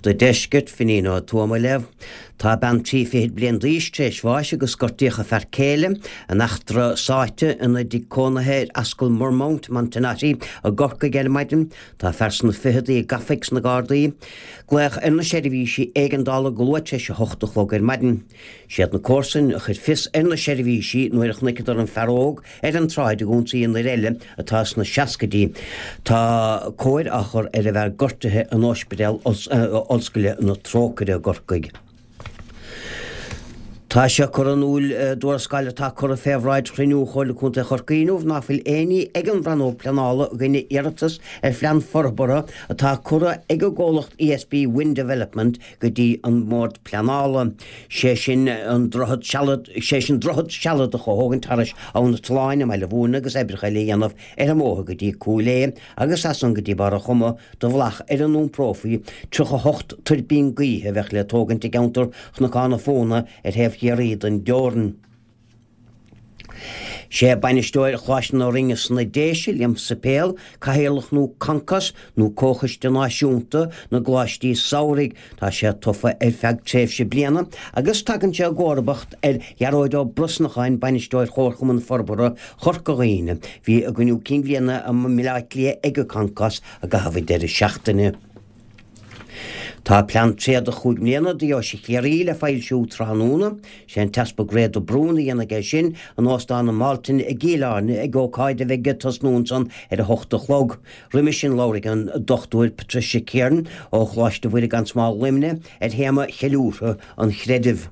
Do Deisceart, Finín Ó Tuama ag léamh. Tá bean 23 fichid bliain d'aois tar éis bháis agus gortaíodh a fear céile in eachtra sáite ina dtigh cónaithe ar Ascaill Murmount, Montenotte, i gCorcaigh ar maidin. Tá fear sna ficheadaí gafa ag na Gardaí. Glaodh ar na seirbhísí éigeandála go luath tar éis a hocht a chlog ar maidin. Siad na comharsain a chuir fios ar na seirbhísí nuair a chonaiceadar an fear óg ar an tsráid ag ionsaí an fhir eile atá sna seascaidí. Tá cóir á chur ar an bhfear gortaithe in Ospidéal Ollscoile na Trócaire i gCorcaigh. Tá sé curtha in iúl i dtuarascáil atá curtha fé bhráid chruinniú Chomhairle Contae Chorcaí inniu ná fuil aon ní ag an Rannóg Pleanála i gcoinne iarratas ar phlean forbartha atá curtha ag an gcomhlacht ESB Wind Development go dtí an mBord Pleanála, sé sin an droichead sealad, sé sin droichead sealadach a thógaint thairis Abhainn an tSuláin i mBaile Mhúirne agus oibreacha eile a dhéanamh ar an mbóthar go dtí Cúil Aodha agus as san go dtí Barr an Choma do bhealach ar a n-iomprófaí 38 tuirbín gaoithe a bheadh le tógaint i gceantar Chnocán an Phóna ar thaobh Chiarraí den dteorainn. Sé bainisteoir Choláiste na Rinne sna Déise, Liam Suipéil, cathaoirleach nua Concos, nó Comhchoiste Náisiúnta na gColáistí Samhraidh. Tá sé tofa ar feadh tréimhse bliana agus tagann sé i gcomharbacht ar Ghearóid Ó Brosnacháin, bainisteoir Chomharchumann Forbartha Chorca Dhuibhne. Bhí a gcruinniú cinn bhliana i mBaile Átha Cliath ag an Concos i gcaitheamh an deireadh seachtaine. Tá plean tréada chúig mbliana do Dheoise Chiarraí le foilsiú tráthnóna. Sé an tEaspag Ray de Brún a dhéanfaidh é sin in Óstán an Mhaltin i gCill Airne ag ócáid a bheidh ag tosnú ansan ar a hocht a chlog. Roimhe sin labharfaidh an Dr Patricia Kiernan ó Choláiste Mhuire gan Smál Luimnigh ar théama cheiliúrtha an chreidimh.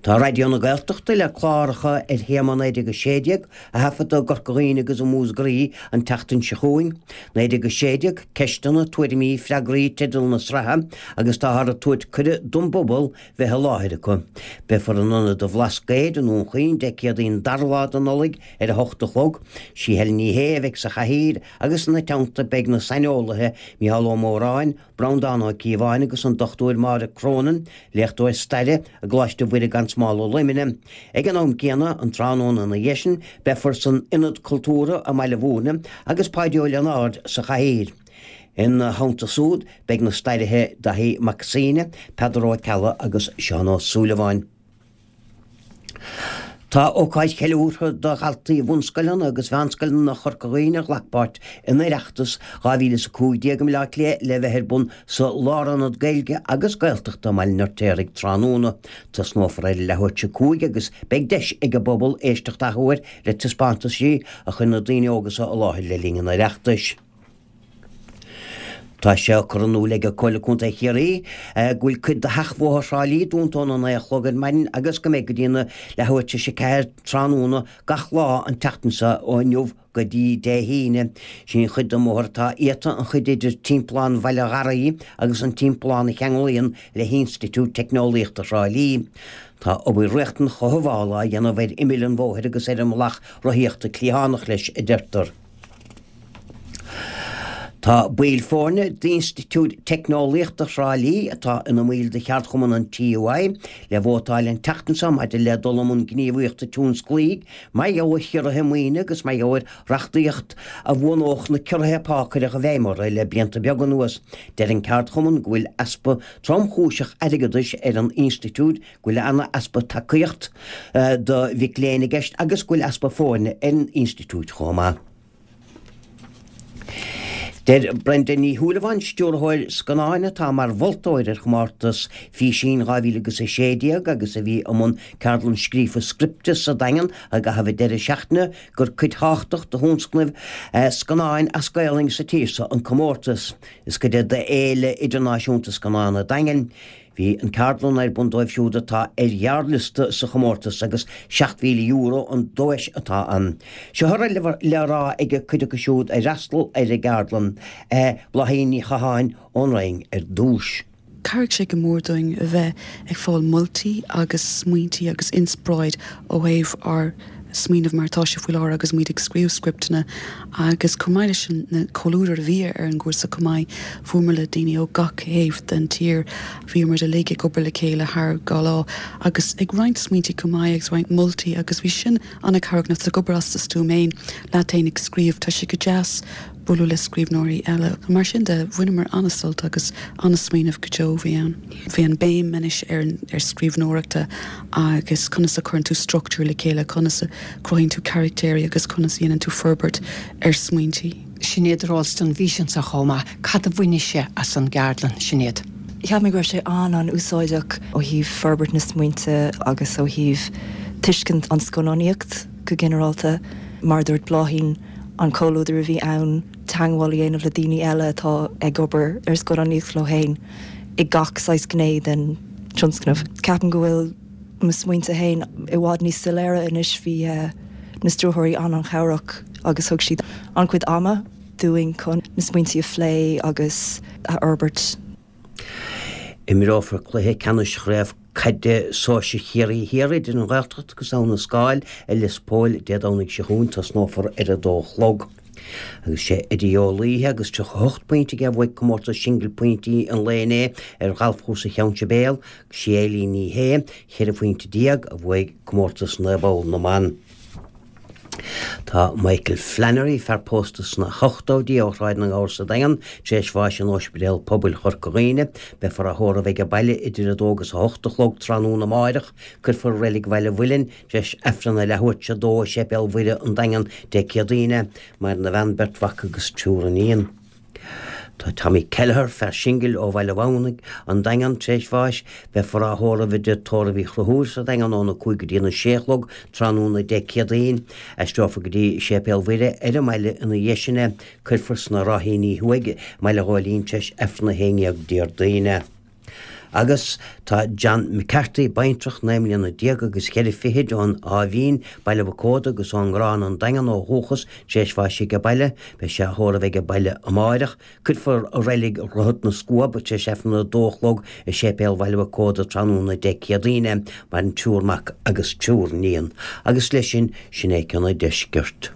Tá Raidió na Gaeltachta le cláracha ar théama 1916 a thaifeadadh i gCorca Dhuibhne agus i Múscraí an tseachtain seo chugainn. 1916, Ceisteanna, Tuairimí, Freagraí teideal na sraithe agus táthar ag tabhairt cuireadh don bpobal bheith i láthair acu. Beifear in Ionad an Bhlascaoid i nDún Chaoin Dé Céadaoin an dara lá de Nollaig ar a hocht a chlog. Sí Helen Ní Shé a bheidh sa chathaoir agus ina teannta beidh na saineolaithe Mícheál Ó Móráin, Breandán Ó Cíobháin agus an Dr Máire Cronin, léachtóir staire i gColáiste Mhuire gan Smál i Luimneach. Ag an am céanna, an tráthnóna ina dhiaidh sin, beifear san Ionad Cultúrtha i mBaile Mhúirne agus Páidí Ó Lionáird sa chathaoir. Ina theannta súd, beidh na stairithe Daithí Mac Suibhne, Peadar Ó Ceallaigh agus Seán Ó Súilleabháin. Tá ócáid cheiliúrtha do dhaltaí bhunscoileanna agus mheánscoileanna Chorca Dhuibhne a ghlac páirt in Oireachtas 2015 i mBaile Átha Cliath le bheith ar bun sa Lárionad Gaeilge agus Gaeltachta i mBaile an Fheirtéaraigh tráthnóna. Tosnófar ar a leathuair tar éis a 5 agus beidh deis ag an bpobal éisteacht athuair le taispeántaisí a chuir na daoine óga seo i láthair le linn an Oireachtais. Tá sé curtha in iúl ag Comhairle Contae Chiarraí go bhfuil cuid de sheachbhóthar Thrá Lí dúnta óna 9 a chlog ar maidin agus go mbeidh go dtí na leathuair tar éis a 4 tráthnóna gach lá an tseachtain seo ó inniu go dtí Dé hAoine. Sin an chuid den mbóthar atá iata, an chuid idir Timpeallán Bhaile Gharraí agus an timpeallán a cheanglaíonn le hInstitiúid Teicneolaíochta Thrá Lí. Tá obair riachtanach chothabhála á dhéanamh ar imill an bhóthair agus ar an mbealach rothaíochta cliathánach leis, a deirtear. Tá baill foirne d'Institiúid Teicneolaíochta Thrá Lí, atá ina mbaill de cheardchumann an TUI, le vótáil an tseachtain seo maidir le dul i mbun gníomhaíochta tionsclaígh mar gheall ar chiorruithe maoine agus mar gheall ar reachtaíocht a bhuanódh na ciorruithe pá a cuireadh i bhfeidhm orthu le blianta beaga anuas. Deir an ceardchumann go bhfuil easpa tromchúiseach airgeadais ar an institiúid, go bhfuil an-easpa tacaíocht do mhic léinn i gceist agus go bhfuil easpa foirne ar an institiúid chomh maith. Deir Brenda Ní Shúilleabháin, stiúrthóir scannáin atá mar mholtóir ar chomórtas Físín 2016 agus a bhí i mbun ceardlann scríofa scripte sa Daingean i gcaitheamh an deireadh seachtaine, gur cuid thábhachtach de thionscnaimh scannáin as Gaolainn sa tír seo an comórtas. Is cuid é d'Fhéile Idirnáisiúnta Scannán an Daingin. Bhí an ceardlann ar bun dóibh siúd atá ar ghearrliosta sa chomórtas agus €7,000 an duais atá ann. Seo a raibh le rá ag cuid acu siúd a fhreastal ar an gceardlann, Bláithín Ní Chatháin ón Rinn ar dtús. Chabhraigh sé go mór dúinn a bheith ag fáil moltaí agus smaointí agus inspioráid ó thaobh ár smaoineamh mar atá sé faoi láthair agus muid ag scríobh scripteanna agus chomh maith leis sin na comhluadar a bhí ar an gcúrsa chomh maith fuaireamar le daoine ó gach thaobh den tír bhíomar uilig ag obair le chéile thar dhá lá agus ag roinnt smaointí chomh maith agus roinnt moltaí agus bhí sin an-chabhrach nuair atá tú ag obair as do stuaim fhéin leat fhéin ag scríobh tá sé go deas. bualadh le scríbhneoirí eile. Mar sin de, bhaineamar an-sult agus an-smaoineamh go deo a bhí ann. Bhí an béim anois ar ar scríbhneoireachta agus conas a chuireann tú struchtúr le chéile, conas a chruthaíonn tú carachtéirí agus conas a dhéanann tú forbairt ar smaointí. Sinéad Ralston, bhís anso chomh maith. Cad a bhainis-se as an gceardlann, Sinéad? Cheap mé go raibh sé an-an-úsáideach ó thaobh forbairt na smaointe agus ó thaobh tuiscint an scannánaíocht go ginearálta. Mar a dúirt Bláithín, an comhluadar a bhí ann, teagmháil a dhéanamh le daoine eile atá ag obair ar scannánaíocht leo féin i gach saghas gné den tionscnamh. Ceapaim go bhfuil mo smaointe féin i bhfad níos soiléire anois. Bhí na stiúrthóirí an-an-chabhrach agus thug siad an-chuid ama dúinn chun na smaointe a phlé agus a fhorbairt. Imreofar cluiche ceannais Chraobh Caide Sóisir Chiarraí Thiar idir an Ghaeltacht agus Abha na Scáil i Lios Póil Dé Domhnaigh seo chugainn. Tosnófar ar a dó a chlog. Agus sé Eddie Ó Laoithe agus 38 pointe aige a bhuaigh comórtas singil pointí an lae inné ar ghalfchúrsa Cheann Sibéal agus sí Eilín Ní Shé, 14 phointe, a bhuaigh comórtas 9 bpoll na mban. Tá Michael Flannery, fear pósta sna hochtóidí ó Shráid na nGabhar sa Daingean, tar éis bháis in Ospidéal Pobail Chorca Dhuibhne. Beifear á thórramh aige baile idir 2 agus 8 a chlog tráthnóna amáireach. Cuirfear i Reilig Bhaile Mhuilinn tar éis Aifreann a leathuair tar éis a dó i Séipéal Mhuire an Daingean Dé Céadaoine é. Maireann a bhean, beirt mhac agus triúr iníon. Tá Tommy Kelleher, fear singil ó Bhaile Mhamhnaigh, An Daingean, tar éis bháis. Beifear á thórramh i dtigh tórraimh Uí Chonchúir sa Daingean óna 5 go dtí na 6 a chlog tráthnóna Dé Céadaoin. Aistreofar go dtí Séipéal Mhuire ar an mbaile ina dhiaidh sin é. Cuirfear sna Ráithíní Thuaidh i mBaile Ghóilín tar éis Aifreann a 11 Déardaoin é. Agus tá John McCarthy, baintreach, 19 mbliana agus cheithre fichid ón Áth Mhín, Baile Mhic Óda agus ón nGrán, An Daingean ó dhúchas, tar éis bháis aige baile. Beidh sé á thórramh aige baile amáireach. Cuirfear i reilig Dhroichead na Scuab tar éis Aifreann a dó a chlog i Séipéal Bhaile Mhic Óda tráthnóna Dé Céadaoin é. Maireann triúr mac agus triúr iníon. Agus leis sin, sin é ceann an deiscirt.